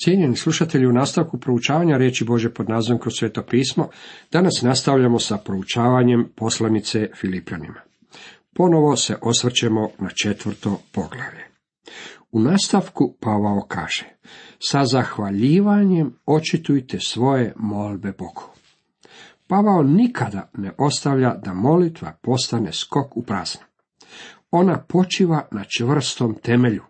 Cijenjeni slušatelji, u nastavku proučavanja riječi Božje pod nazivom Kroz Sveto pismo, danas nastavljamo sa proučavanjem poslanice Filipljanima. Ponovo se osvrćemo na 4. poglavlje. U nastavku Pavao kaže: sa zahvaljivanjem očitujte svoje molbe Bogu. Pavao nikada ne ostavlja da molitva postane skok u prazno. Ona počiva na čvrstom temelju.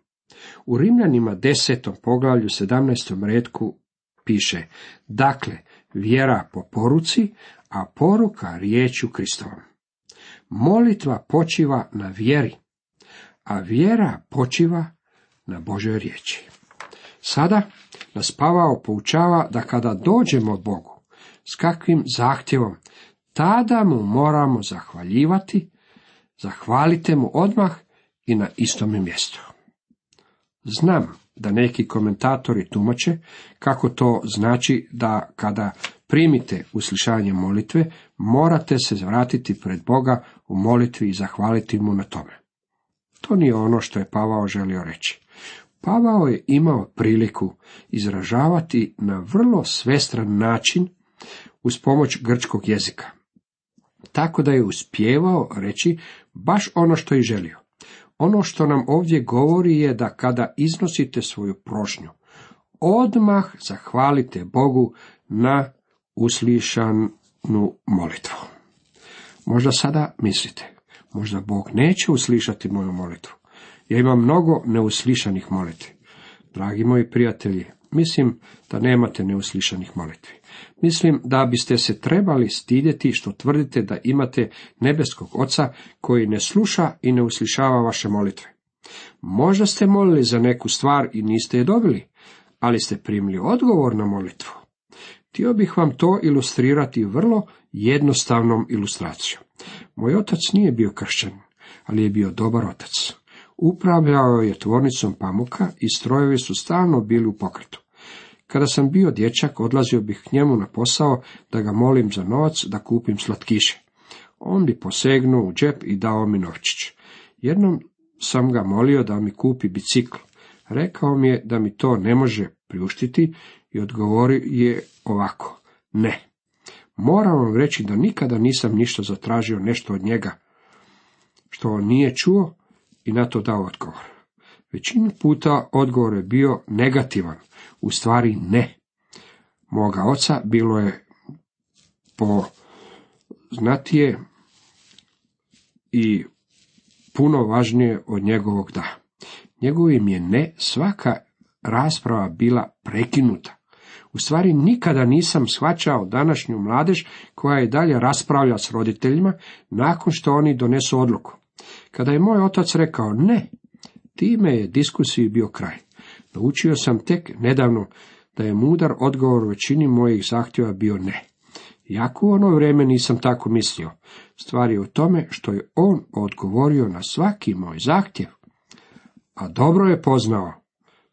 U Rimljanima 10. poglavlju 17. retku piše: dakle, vjera po poruci, a poruka riječju Kristovom. Molitva počiva na vjeri, a vjera počiva na Božoj riječi. Sada nas Pavao poučava da kada dođemo Bogu, s kakvim zahtjevom, tada mu moramo zahvaljivati, zahvalite mu odmah i na istome mjestu. Znam da neki komentatori tumače kako to znači da kada primite uslišanje molitve, morate se vratiti pred Boga u molitvi i zahvaliti mu na tome. To nije ono što je Pavao želio reći. Pavao je imao priliku izražavati na vrlo svestran način uz pomoć grčkog jezika. Tako da je uspijevao reći baš ono što je želio. Ono što nam ovdje govori je da kada iznosite svoju prošnju, odmah zahvalite Bogu na uslišanu molitvu. Možda sada mislite, možda Bog neće uslišati moju molitvu. Ja imam mnogo neuslišanih molitvi. Dragi moji prijatelji, mislim da nemate neuslišanih molitvi. Mislim da biste se trebali stidjeti što tvrdite da imate nebeskog Oca koji ne sluša i ne uslišava vaše molitve. Možda ste molili za neku stvar i niste je dobili, ali ste primili odgovor na molitvu. Htio bih vam to ilustrirati vrlo jednostavnom ilustracijom. Moj otac nije bio kršćanin, ali je bio dobar otac. Upravljao je tvornicom pamuka i strojevi su stalno bili u pokretu. Kada sam bio dječak, odlazio bih k njemu na posao da ga molim za novac da kupim slatkiše. On bi posegnuo u džep i dao mi novčić. Jednom sam ga molio da mi kupi bicikl. Rekao mi je da mi to ne može priuštiti i odgovorio je ovako: ne. Moram vam reći da nikada nisam ništa zatražio nešto od njega što on nije čuo i na to dao odgovor. Većinu puta odgovor je bio negativan, u stvari ne. Moga oca bilo je poznatije i puno važnije od njegovog da. Njegovim je ne svaka rasprava bila prekinuta. U stvari nikada nisam shvaćao današnju mladež koja i dalje raspravlja s roditeljima nakon što oni donesu odluku. Kada je moj otac rekao ne, time je diskusiji bio kraj. Naučio sam tek nedavno da je mudar odgovor većini mojih zahtjeva bio ne. Iako u ono vrijeme nisam tako mislio. Stvar je u tome što je on odgovorio na svaki moj zahtjev, a dobro je poznao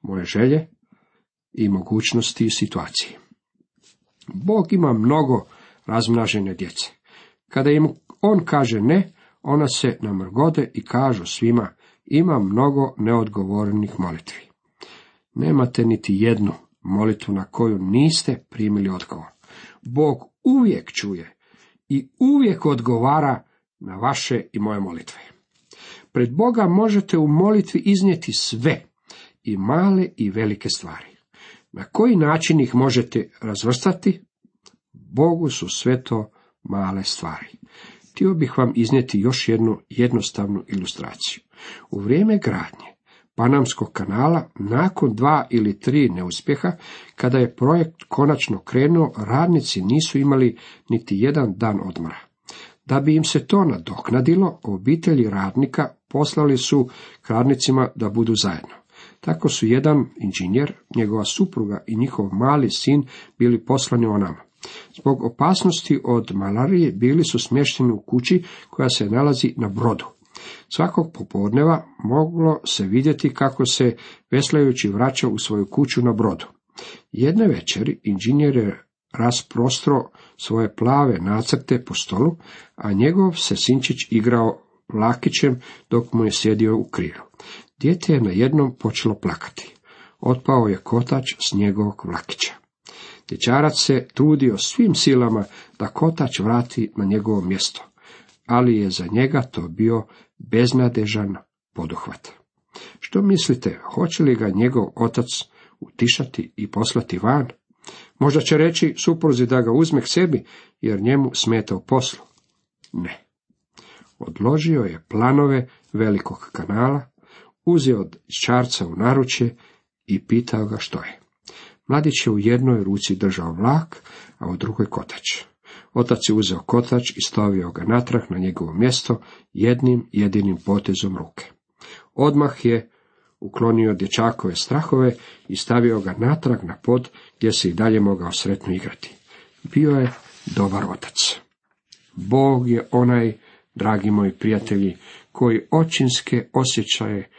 moje želje i mogućnosti i situacije. Bog ima mnogo razmnažene djece. Kada im on kaže ne, ona se namrgode i kažu svima: ima mnogo neodgovorenih molitvi. Nemate niti jednu molitvu na koju niste primili odgovor. Bog uvijek čuje i uvijek odgovara na vaše i moje molitve. Pred Boga možete u molitvi iznijeti sve, i male i velike stvari. Na koji način ih možete razvrstati? Bogu su sve to male stvari. Htio bih vam iznijeti još jednu jednostavnu ilustraciju. U vrijeme gradnje Panamskog kanala, nakon 2 ili 3 neuspjeha, kada je projekt konačno krenuo, radnici nisu imali niti jedan dan odmora. Da bi im se to nadoknadilo, obitelji radnika poslali su k radnicima da budu zajedno. Tako su jedan inženjer, njegova supruga i njihov mali sin bili poslani o nama. Zbog opasnosti od malarije bili su smješteni u kući koja se nalazi na brodu. Svakog popodneva moglo se vidjeti kako se veslajući vraća u svoju kuću na brodu. Jedne večeri inženjer je rasprostro svoje plave nacrte po stolu, a njegov se sinčić igrao lakićem dok mu je sjedio u krilu. Dijete je najednom počelo plakati. otpao je kotač s njegovog vlakića. Dječarac se trudio svim silama da kotač vrati na njegovo mjesto, ali je za njega to bio beznadežan poduhvat. Što mislite, hoće li ga njegov otac utišati i poslati van? Možda će reći supruzi da ga uzme k sebi, jer njemu smeta u poslu. Ne. Odložio je planove velikog kanala, uzeo dječarca u naručje i pitao ga što je. Mladić je u jednoj ruci držao vlak, a u drugoj kotač. Otac je uzeo kotač i stavio ga natrag na njegovo mjesto jednim jedinim potezom ruke. Odmah je uklonio dječakove strahove i stavio ga natrag na pod gdje se i dalje mogao sretno igrati. Bio je dobar otac. Bog je onaj, dragi moji prijatelji, koji očinske osjećaje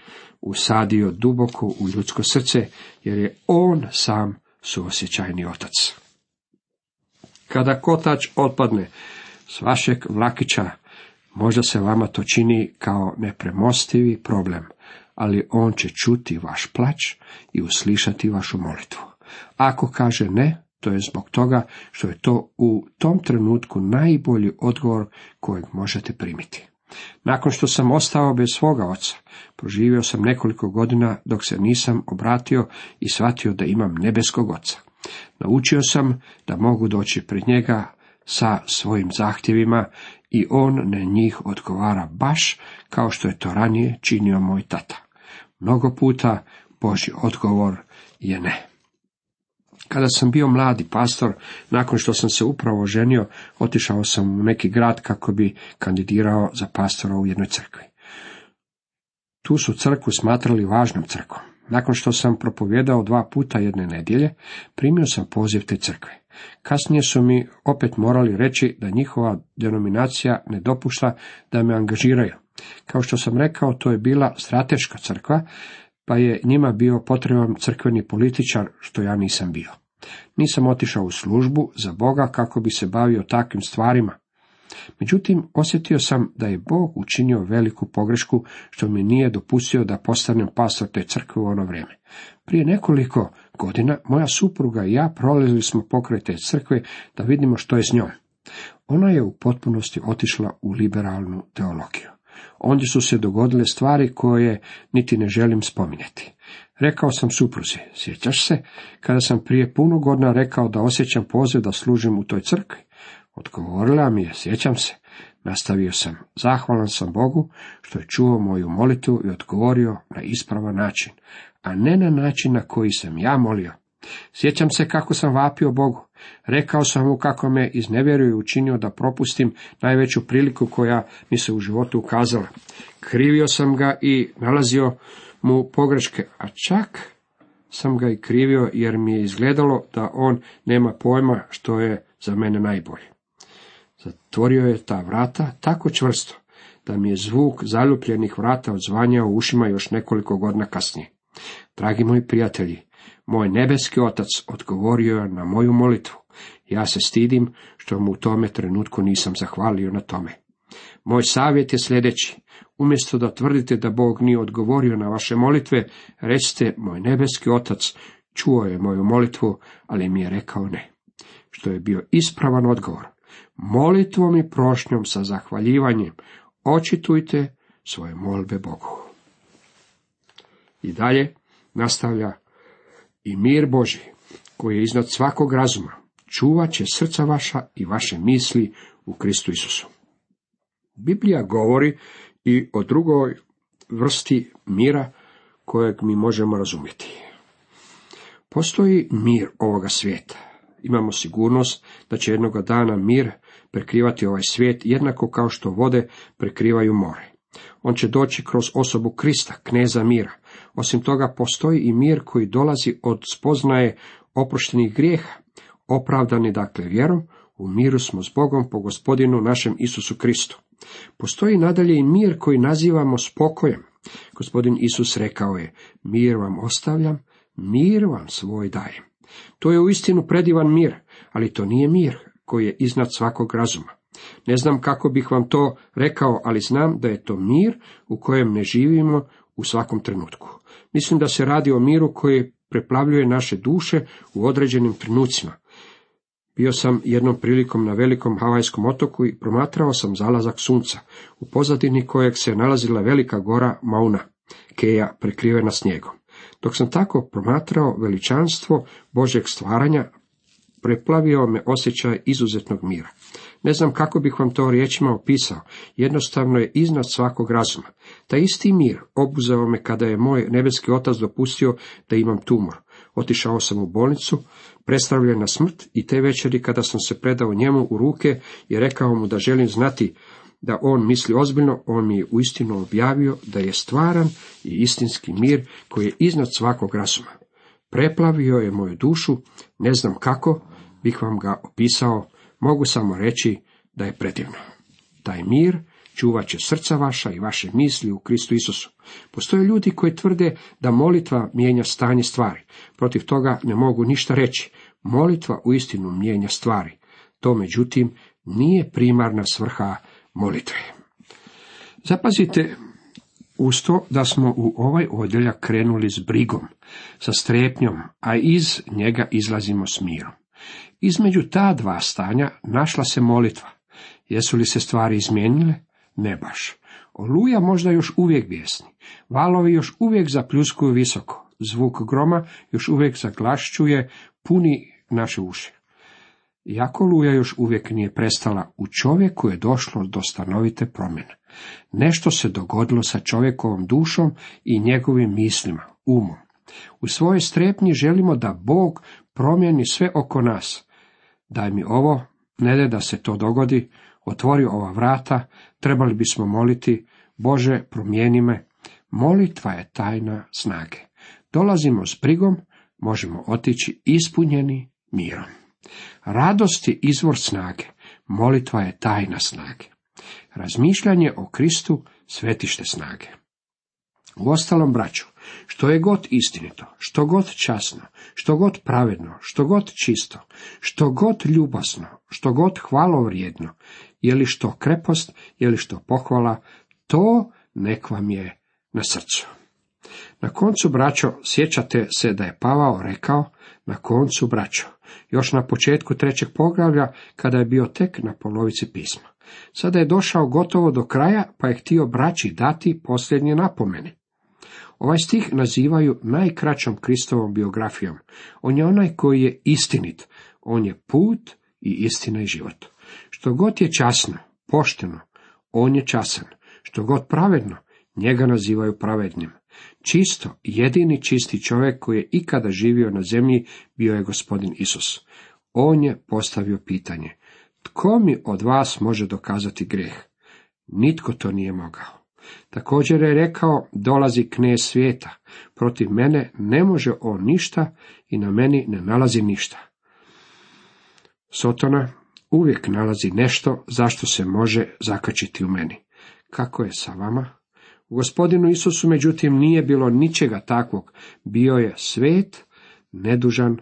usadio duboko u ljudsko srce, jer je on sam suosjećajni otac. Kada kotač otpadne s vašeg vlakića, možda se vama to čini kao nepremostivi problem, ali on će čuti vaš plać i uslišati vašu molitvu. Ako kaže ne, to je zbog toga što je to u tom trenutku najbolji odgovor kojeg možete primiti. Nakon što sam ostao bez svoga oca, proživio sam nekoliko godina dok se nisam obratio i shvatio da imam nebeskog oca. Naučio sam da mogu doći pred njega sa svojim zahtjevima i on na njih odgovara baš kao što je to ranije činio moj tata. Mnogo puta Božji odgovor je ne. Kada sam bio mladi pastor, nakon što sam se upravo oženio, otišao sam u neki grad kako bi kandidirao za pastora u jednoj crkvi. Tu su crkvu smatrali važnom crkvom. Nakon što sam propovijedao 2 puta jedne nedjelje, primio sam poziv te crkve. Kasnije su mi opet morali reći da njihova denominacija ne dopušta da me angažiraju. Kao što sam rekao, to je bila strateška crkva, pa je njima bio potreban crkveni političar, što ja nisam bio. Nisam otišao u službu za Boga kako bi se bavio takvim stvarima. Međutim, osjetio sam da je Bog učinio veliku pogrešku što mi nije dopustio da postanem pastor te crkve u ono vrijeme. Prije nekoliko godina moja supruga i ja prolazili smo pokraj te crkve da vidimo što je s njom. Ona je u potpunosti otišla u liberalnu teologiju. Ondje su se dogodile stvari koje niti ne želim spominjati. Rekao sam supruzi, sjećaš se, kada sam prije puno godina rekao da osjećam poziv da služim u toj crkvi? Odgovorila mi je, sjećam se. Nastavio sam, zahvalan sam Bogu što je čuo moju molitvu i odgovorio na ispravan način, a ne na način na koji sam ja molio. Sjećam se kako sam vapio Bogu. Rekao sam mu kako me iznevjerio i učinio da propustim najveću priliku koja mi se u životu ukazala. Krivio sam ga i nalazio mu pogreške, a čak sam ga i krivio jer mi je izgledalo da on nema pojma što je za mene najbolje. Zatvorio je ta vrata tako čvrsto da mi je zvuk zaljubljenih vrata odzvanjao u ušima još nekoliko godina kasnije. Dragi moji prijatelji, moj nebeski otac odgovorio je na moju molitvu. Ja se stidim što mu u tome trenutku nisam zahvalio na tome. Moj savjet je sljedeći. Umjesto da tvrdite da Bog nije odgovorio na vaše molitve, recite, moj nebeski otac čuo je moju molitvu, ali mi je rekao ne. Što je bio ispravan odgovor. Molitvom i prošnjom sa zahvaljivanjem očitujte svoje molbe Bogu. I dalje nastavlja, i mir Božji, koji je iznad svakog razuma, čuvat će srca vaša i vaše misli u Kristu Isusu. Biblija govori i o drugoj vrsti mira kojeg mi možemo razumjeti. Postoji mir ovoga svijeta. Imamo sigurnost da će jednoga dana mir prekrivati ovaj svijet jednako kao što vode prekrivaju more. On će doći kroz osobu Krista, kneza mira. Osim toga, postoji i mir koji dolazi od spoznaje oproštenih grijeha. Opravdani dakle vjerom, u miru smo s Bogom po Gospodinu našem Isusu Kristu. Postoji nadalje i mir koji nazivamo spokojem. Gospodin Isus rekao je, mir vam ostavljam, mir vam svoj dajem. To je uistinu predivan mir, ali to nije mir koji je iznad svakog razuma. Ne znam kako bih vam to rekao, ali znam da je to mir u kojem ne živimo u svakom trenutku. Mislim da se radi o miru koji preplavljuje naše duše u određenim trenucima. Bio sam jednom prilikom na velikom havajskom otoku i promatrao sam zalazak sunca, u pozadini kojeg se nalazila velika gora Mauna Kea prekrivena snijegom. Dok sam tako promatrao veličanstvo Božjeg stvaranja, preplavio me osjećaj izuzetnog mira. Ne znam kako bih vam to riječima opisao, jednostavno je iznad svakog razuma. Taj isti mir obuzeo me kada je moj nebeski otac dopustio da imam tumor. Otišao sam u bolnicu, predstavljen na smrt, i te večeri kada sam se predao njemu u ruke i rekao mu da želim znati da on misli ozbiljno, on mi je uistinu objavio da je stvaran i istinski mir koji je iznad svakog razuma. Preplavio je moju dušu, ne znam kako bih vam ga opisao, mogu samo reći da je predivno. Taj mir čuvat će srca vaša i vaše misli u Kristu Isusu. Postoje ljudi koji tvrde da molitva mijenja stanje stvari. Protiv toga ne mogu ništa reći. Molitva uistinu mijenja stvari. To, međutim, nije primarna svrha molitve. Zapazite uz to da smo u ovaj odjeljak krenuli s brigom, sa strepnjom, a iz njega izlazimo s mirom. Između ta dva stanja našla se molitva. Jesu li se stvari izmijenile? Ne baš. Oluja možda još uvijek bijesni. Valovi još uvijek zapljuskuju visoko. Zvuk groma još uvijek zaglašćuje, puni naše uši. Iako oluja još uvijek nije prestala, u čovjeku je došlo do stanovite promjene. Nešto se dogodilo sa čovjekovom dušom i njegovim mislima, umom. U svojoj strepnji želimo da Bog promijeni sve oko nas. Daj mi ovo, ne daj da se to dogodi, otvori ova vrata, trebali bismo moliti, Bože, promijeni me. Molitva je tajna snage. Dolazimo s brigom, možemo otići ispunjeni mirom. Radost je izvor snage, molitva je tajna snage. Razmišljanje o Kristu svetište snage. Uostalom, braćo, što je god istinito, što god časno, što god pravedno, što god čisto, što god ljubazno, što god hvalovrijedno, je li što krepost, je li što pohvala, to nek vam je na srcu. Na koncu, braćo, sjećate se da je Pavao rekao, na koncu, braćo, još na početku 3. poglavlja, kada je bio tek na polovici pisma. Sada je došao gotovo do kraja, pa je htio braći dati posljednje napomene. Ovaj stih nazivaju najkraćom Kristovom biografijom. On je onaj koji je istinit, on je put i istina i život. Što god je časno, pošteno, on je časan. Što god pravedno, njega nazivaju pravednim. Čisto, jedini čisti čovjek koji je ikada živio na zemlji bio je Gospodin Isus. On je postavio pitanje: tko mi od vas može dokazati grijeh? Nitko to nije mogao. Također je rekao: dolazi knez svijeta, protiv mene ne može on ništa i na meni ne nalazi ništa. Sotona uvijek nalazi nešto zašto se može zakačiti u meni. Kako je sa vama? U Gospodinu Isusu, međutim, nije bilo ničega takvog. Bio je svet, nedužan,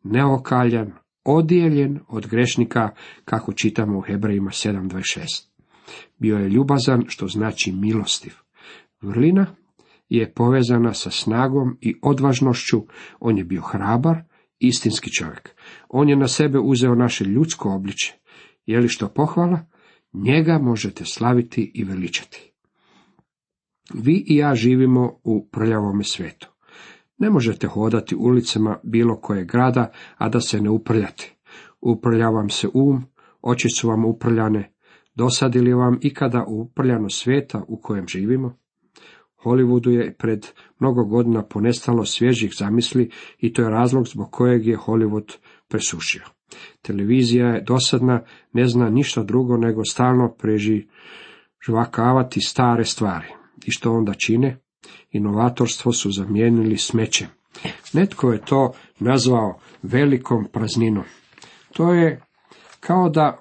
neokaljan, odijeljen od grešnika, kako čitamo u Hebrejima 7:26. Bio je ljubazan, što znači milostiv. Vrlina je povezana sa snagom i odvažnošću. On je bio hrabar, istinski čovjek. On je na sebe uzeo naše ljudsko obličje. Je li što pohvala? Njega možete slaviti i veličati. Vi i ja živimo u prljavome svijetu. Ne možete hodati ulicama bilo kojeg grada, a da se ne uprljate. Uprlja vam se oči su vam uprljane. Dosadi li vam ikada uprljano svijeta u kojem živimo? Hollywoodu je pred mnogo godina ponestalo svježih zamisli i to je razlog zbog kojeg je Hollywood presušio. Televizija je dosadna, ne zna ništa drugo nego stalno prežvakavati stare stvari. I što onda čine? Inovatorstvo su zamijenili smećem. Netko je to nazvao velikom prazninom. To je kao da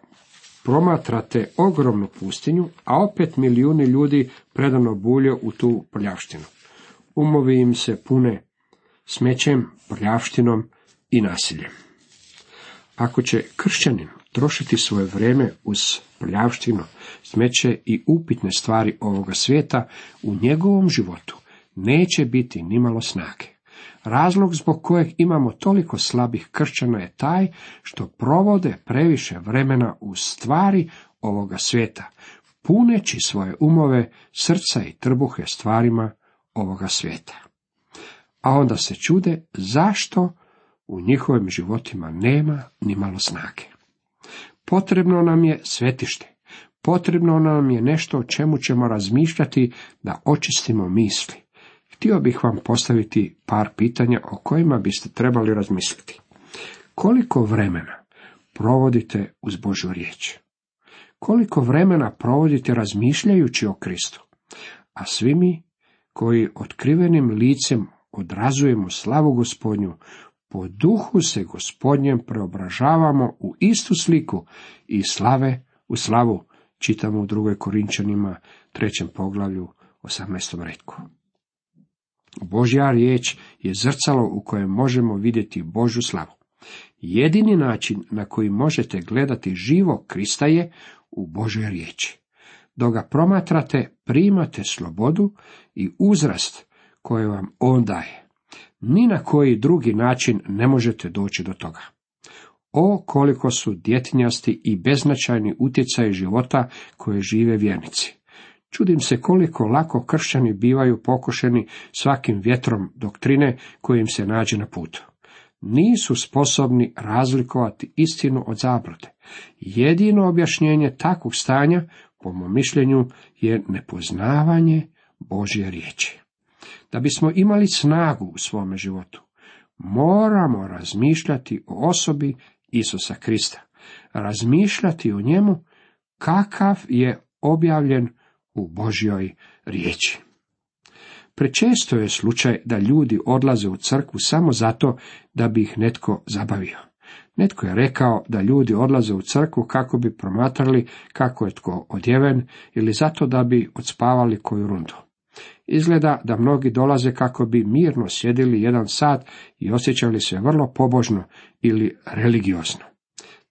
promatrate ogromnu pustinju, a opet milijuni ljudi predano bulje u tu prljavštinu. Umovi im se pune smećem, prljavštinom i nasiljem. Ako će kršćanin trošiti svoje vrijeme uz prljavštinu, smeće i upitne stvari ovoga svijeta, u njegovom životu neće biti nimalo snage. Razlog zbog kojeg imamo toliko slabih kršćana je taj što provode previše vremena u stvari ovoga svijeta, puneći svoje umove, srca i trbuhe stvarima ovoga svijeta. A onda se čude zašto u njihovim životima nema ni malo snage. Potrebno nam je svetište. Potrebno nam je nešto o čemu ćemo razmišljati da očistimo misli. Htio bih vam postaviti par pitanja o kojima biste trebali razmisliti. Koliko vremena provodite uz Božju riječ? Koliko vremena provodite razmišljajući o Kristu? A svi mi koji otkrivenim licem odrazujemo slavu Gospodnju, po duhu se Gospodnjem preobražavamo u istu sliku i slave u slavu, čitamo u 2. Korinčanima 3. poglavlju 18. retku. Božja riječ je zrcalo u kojem možemo vidjeti Božju slavu. Jedini način na koji možete gledati živog Krista je u Božjoj riječi. Dok ga promatrate, primate slobodu i uzrast koje vam on daje. Ni na koji drugi način ne možete doći do toga. O, koliko su djetinjasti i beznačajni utjecaji života koje žive vjernici. Čudim se koliko lako kršćani bivaju pokušeni svakim vjetrom doktrine koji im se nađe na putu. Nisu sposobni razlikovati istinu od zablude. Jedino objašnjenje takvog stanja, po mom mišljenju, je nepoznavanje Božje riječi. Da bismo imali snagu u svome životu, moramo razmišljati o osobi Isusa Krista, razmišljati o njemu kakav je objavljen u Božjoj riječi. Prečesto je slučaj da ljudi odlaze u crkvu samo zato da bi ih netko zabavio. Netko je rekao da ljudi odlaze u crkvu kako bi promatrali kako je tko odjeven ili zato da bi odspavali koju rundu. Izgleda da mnogi dolaze kako bi mirno sjedili 1 sat i osjećali se vrlo pobožno ili religiozno.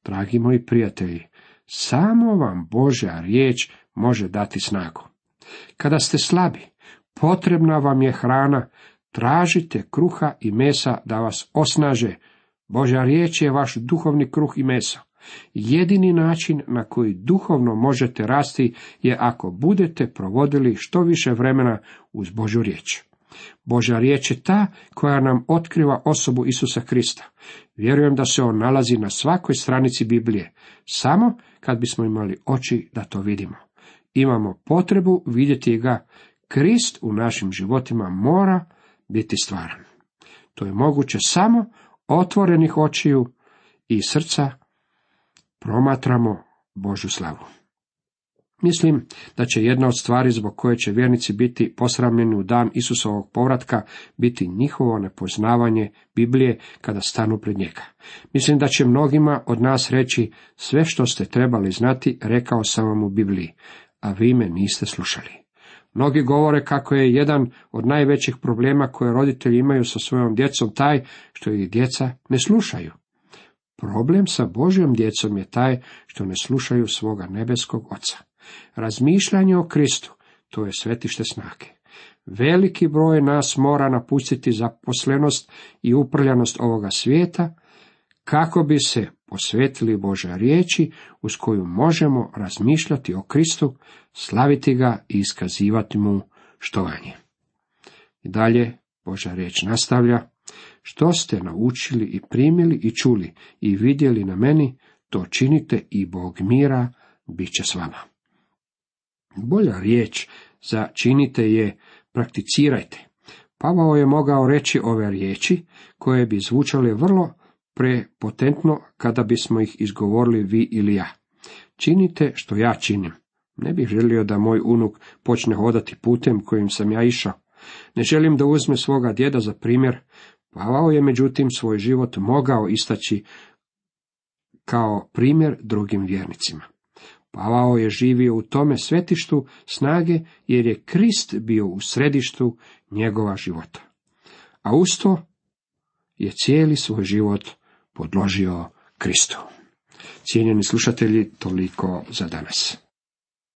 Dragi moji prijatelji, samo vam Božja riječ može dati snagu. Kada ste slabi, potrebna vam je hrana, tražite kruha i mesa da vas osnaže. Božja riječ je vaš duhovni kruh i meso. Jedini način na koji duhovno možete rasti je ako budete provodili što više vremena uz Božju riječ. Božja riječ je ta koja nam otkriva osobu Isusa Krista. Vjerujem da se on nalazi na svakoj stranici Biblije, samo kad bismo imali oči da to vidimo. Imamo potrebu vidjeti ga. Krist u našim životima mora biti stvaran. To je moguće samo otvorenih očiju i srca promatramo Božju slavu. Mislim da će jedna od stvari zbog koje će vjernici biti posramljeni u dan Isusovog povratka biti njihovo nepoznavanje Biblije kada stanu pred njega. Mislim da će mnogima od nas reći: sve što ste trebali znati rekao sam vam u Bibliji, a vi me niste slušali. Mnogi govore kako je jedan od najvećih problema koje roditelji imaju sa svojom djecom taj što ih djeca ne slušaju. Problem sa Božjom djecom je taj što ne slušaju svoga nebeskog Oca. Razmišljanje o Kristu, to je svetište snage. Veliki broj nas mora napustiti zaposlenost i uprljanost ovoga svijeta, kako bi se posvetili Božoj riječi uz koju možemo razmišljati o Kristu, slaviti ga i iskazivati mu štovanje. I dalje Božja riječ nastavlja: što ste naučili i primili i čuli i vidjeli na meni, to činite i Bog mira bit će s vama. Bolja riječ za činite je prakticirajte. Pavao je mogao reći ove riječi koje bi zvučale vrlo prepotentno kada bismo ih izgovorili vi ili ja. Činite što ja činim. Ne bih želio da moj unuk počne hodati putem kojim sam ja išao. Ne želim da uzme svoga djeda za primjer. Pavao je međutim svoj život mogao istaći kao primjer drugim vjernicima. Pavao je živio u tome svetištu snage jer je Krist bio u središtu njegova života. A uz to je cijeli svoj život podložio Kristu. Cijenjeni slušatelji, toliko za danas.